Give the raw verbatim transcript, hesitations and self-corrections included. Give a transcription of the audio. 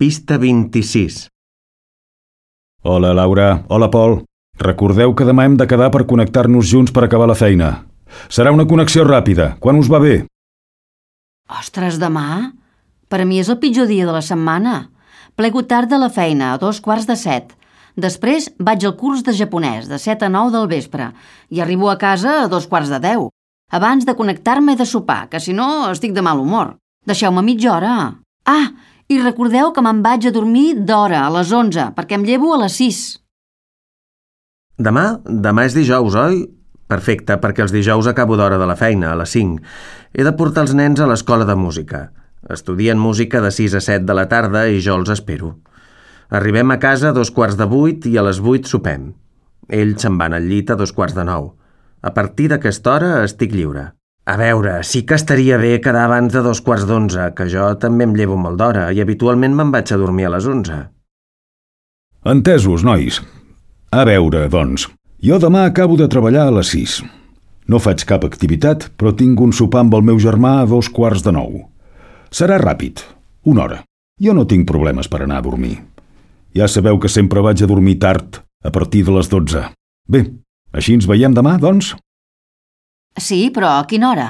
Pista vint-i-sis. Hola, Laura. Hola, Pol. Recordeu que demà hem de quedar per connectar-nos junts per acabar la feina. Serà una connexió ràpida. Quan us va bé? Ostres, demà? Per a mi és el pitjor dia de la setmana. Plego tard de la feina, a dos quarts de set. Després vaig al curs de japonès, de set a nou del vespre, i arribo a casa a dos quarts de deu, abans de connectar-me de sopar, que si no estic de mal humor. Deixeu-me mitja hora. Ah, i recordeu que me'n vaig a dormir d'hora, a les onze, perquè em llevo a les sis. Demà? Demà és dijous, oi? Perfecte, perquè els dijous acabo d'hora de la feina, a les cinc. He de portar els nens a l'escola de música. Estudien música de sis a set de la tarda i jo els espero. Arribem a casa a dos quarts de vuit i a les vuit sopem. Ells se'n van al llit a dos quarts de nou. A partir d'aquesta hora estic lliure. A veure, sí que estaria bé quedar abans de dos quarts d'onze, que jo també em llevo molt d'hora i habitualment me'n vaig a dormir a les onze. Entesos, nois. A veure, doncs, jo demà acabo de treballar a les sis. No faig cap activitat, però tinc un sopar amb el meu germà a dos quarts de nou. Serà ràpid, una hora. Jo no tinc problemes per anar a dormir. Ja sabeu que sempre vaig a dormir tard, a partir de les dotze. Bé, així ens veiem demà, doncs? Sí, però a quina hora?